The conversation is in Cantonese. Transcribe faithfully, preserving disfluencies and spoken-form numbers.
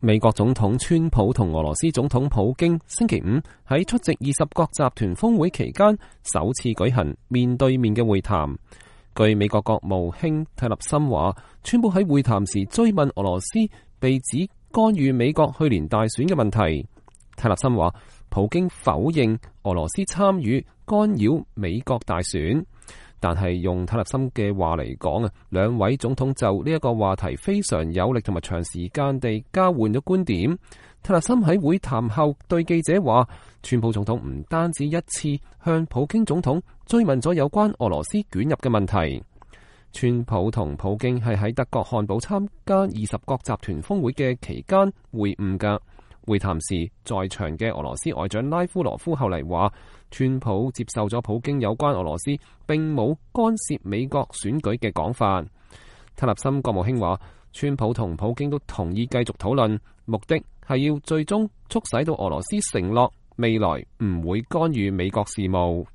美國總統川普同俄羅斯總統普京星期五喺出席二十國集團峰會期間首次舉行面對面嘅會談。據美國國務卿泰勒森話，川普喺會談時追問俄羅斯被指干預美國去年大選嘅問題。泰勒森話，普京否認俄羅斯參與干擾美國大選，但係用泰勒森嘅話嚟講啊，兩位總統就呢一個話題非常有力同埋長時間地交換咗觀點。泰勒森喺會談後對記者話，川普總統唔單止一次向普京總統追問咗有關俄羅斯捲入嘅問題。川普同普京係喺德國漢堡參加二十國集團峰會嘅期間會晤㗎。會談時在場嘅俄羅斯外長拉夫羅夫後嚟話，川普接受咗普京有關俄羅斯並冇干涉美國選舉嘅講法。泰勒森國務卿話，川普同普京都同意繼續討論，目的係要最終促使到俄羅斯承諾未來唔會干預美國事務。